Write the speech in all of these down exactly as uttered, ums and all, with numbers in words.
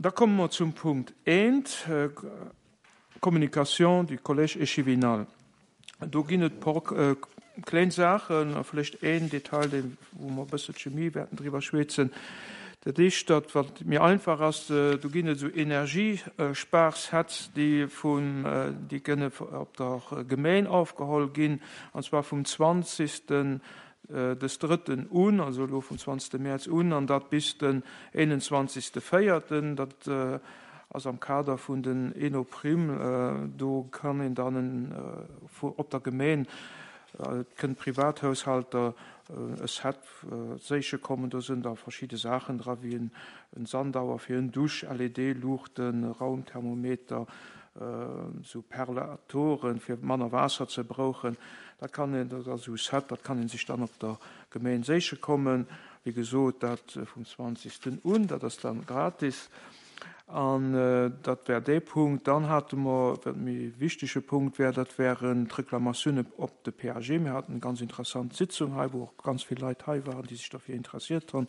Da komme mer zum Punkt eent, Communication du Collège échevinal. Do ginn et por kleng Saachen a vläicht een Detail, deen, wou mer e bësselche méi wäerten driwwer schwätzen. Dat éischt, dat wat méi einfach ass, do ginn et esou Energiesparsets, déi vun, déi kënne op der Gemeng ofgeholl ginn, an zwar vum zwanzigsten des Drëtten un, also elo vum zwanzigste Mäerz un, an dat bis den eenundzwanzigste Véierten. Dat ass am Kader vun den Enoprimm. Do kann een dann op der Gemeng, et kënnt Privathaushalter e Set séiche kommen, do sinn da verschidde Saachen dra wéi en Sandauer fir en Dusch, L E D-Luuchten, Raumthermometer, sou Perlatoren fir manner Waasser ze brauchen. Dat kann een, dat ass esou Set, dat kann een sech dann op der Gemeng séiche kommen. Wéi gesot, dat vum zwanzigsten un, dat ass dann gratis. An dat wär dee Punkt. Dann hate mer, wat méi wichtege Punkt wär, dat wären d'Reklamatiounen op de P A G. Mir haten eng ganz interessant Sitzung hei, wou och ganz vill Leit hei waren, déi sech dafir interessiert hunn.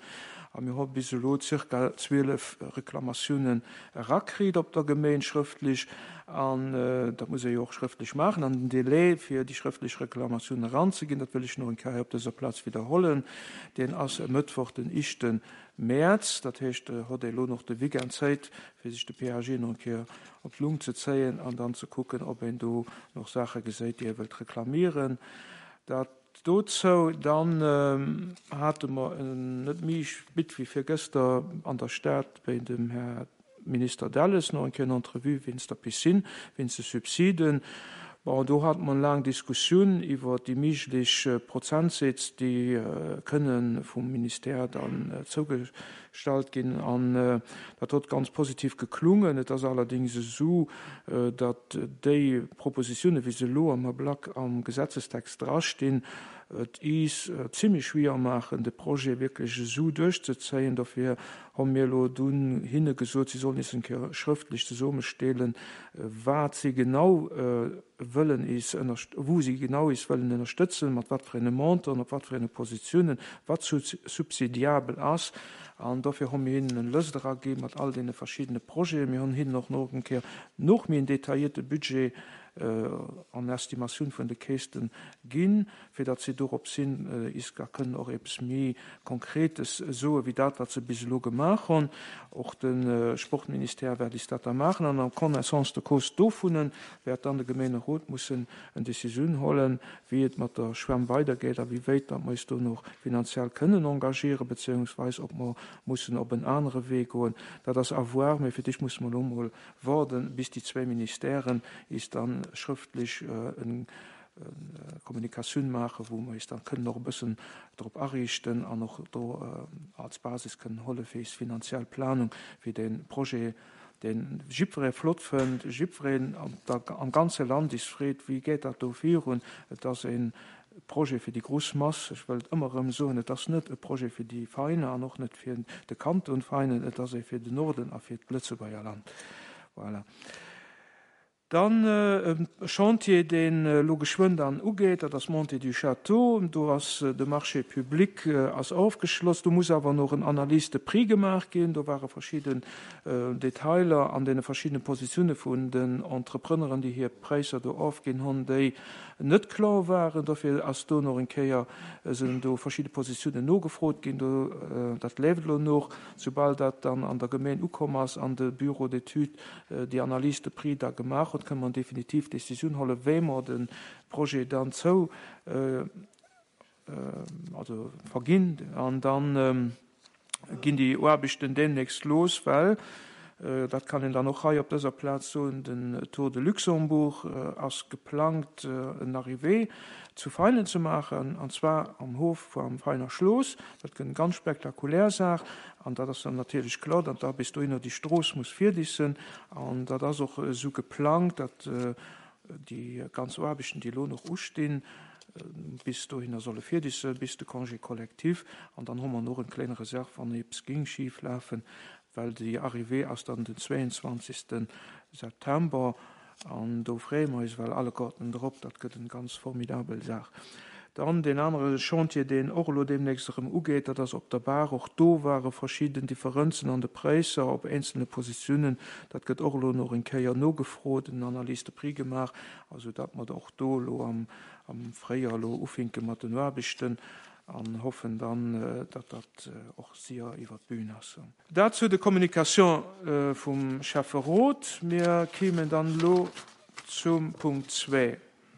A mir hu bis elo circa zwielef Reklamatiounen erakritt op der Gemeng schrëftlech. An dat muss ee jo och schrëftlech maachen. An den Delai, fir déi schrëftlech Reklamatiounen eranzeginn, dat wëll ech noch eng Kéier op dëser Plaz wiederholen, deen ass e Mëttwoch, den éischten Mäerz. Dat heescht, hot elo noch de Weekend Zäit, fir sech de P A G noch eng Kéier op d'Lung ze zéien an dann ze kucken, ob een do noch Saache geséit, déi e wëllt reklamieren. Dat dozou, dann hate mer net méi spit wéi vir gëster an der Stad bei dem Herr Minister Delles noch eng Kéier eng Entrevue wéinst der Piscine, wéinst de Subsiden. Bon, do hat man lang Diskussioun iwwer déi méiglech Prozentsätz, déi kënnen vum Ministère dann zugestallt ginn. An dat huet ganz positiv geklungen. Et ass allerdings esou, datt déi Propositiounen, wéi se elo am Ablack am Gesetzestext drastinn, et is ziemlich schwierig machen, de Projet wirklich so durchzuzéien. Dafür haben wir elo dunn hinne gesot, sie sollen es eng Kéier schrëftlech zusammenstellen, wat sie genau wëllen is ënnerst-, wo sie genau is wëllen ënnerstëtzen, mat wat fir ene Montant, op wat fir ene Positionen, wat subsidiabel ass. An dafür haben wir hinnen en Lëst eraginn mat all den verschiedenen Projeten. Wir haben hinnen och noch eng Kéier noch méi en detaillierte Budget an Estimation vun de Kästen ginn, fir datt sie dorop sinn, is gar kënnen och eppes méi Konkretes soe wéi dat, wat se bis elo gemaach hunn. Och de Sportministère wäert is dat da maachen an en connaissance de cause dovunnen wäert dann de Gemeenerot mussen en Decisioun holen, wéi et mat der Schwämm weitergeet a wéi wéit dat mer is do noch finanziell kënnen engagieren, beziehungsweise ob mer mussen op en anere Wee goen. Dat ass à voir, mee fir dich muss man lo mol warden, bis die zwei Ministèren is dann schrëftlech eng Kommunikatioun maachen, wou mer is dann kënnen noch e bëssen drop ariichten an och do als Basis kënnen holle fir is finanziell Planung fir den Projet, den jiddweree flott fënnt, jiddwereen am ganze Land is freet, wéi geet dat do virun. Et ass een Projet fir die groß Masse. Ech wëll ëmmer erëm soen, et ass net e Projet fir die Feine an och net fir de Kanton Feinen, et ass e fir den Norden a fir d'Lëtzebuerger Land. Voilà. Dann e Chantier, den elo geschwënn dann ugeet, dat ass Montée du Château. Do ass de Marché public ass aufgeschloss. Do muss awer noch en Analyse de Prix gemaach ginn. Do ware verschiedene Detailer an den verschiedenen Positione vun den Entrepreneuren, déi hir Präisser do aufginn hunn, déi net klar waren. Dofir ass do noch eng Kéier, sinn do verschiedene Positionen nogefrot ginn. Do, dat leeft elo noch. Sobald dat dann an der Gemeng ukomm ass, an de Büro d'études déi Analyse de Prix da gemaach huet, kann man definitiv Decisioun holle, wéi mer den Projet dann zou, äh, also verginn. An dann ähm, ginn déi Aarbechten demnächst los, well, äh, dat kann een dann och hei op dëser Plaz soen, den Tour de Luxembourg, äh, ass geplangt, äh, en Arrivée zu Feinen ze maachen, an zwar am Hof am Veiner Schloss. Dat gëtt eng ganz spektakulär Saach, an dat ass dann natierlech klar, datt da bis dohinner déi Strooss muss virdissen, an dat ass och esou geplangt, datt, äh, déi ganz Aarbechten, déi elo noch ustinn, bis dohinner solle virdissen, bis de Congé collectif, an dann hu mer noch eng kleine Reserve, wann eppes ging schief laufen, well déi Arrivée ass dann den zweiundzwanzigsten September, an do freeë mer eis well alle Garten drop, dat gëtt eng ganz formidabel Saach. Dann deen anere Chantier, deen och elo deemnächst erëm ugeet, dat ass op der Baach. Och do ware verschidden Differenzen an de Präisser op eenzelne Positiounen. Dat gëtt och elo nach eng Kéier nogefrot, en Analyse de prix gemaach, also datt mer och do elo am, am Fréijoer elo ufänke mat den Aarbechten an hoffen dann, datt dat och séier iwwer d'Bün ass. Dat zu de Communication vum Schäfferot. Mir kéimen dann elo zum Punkt zwee.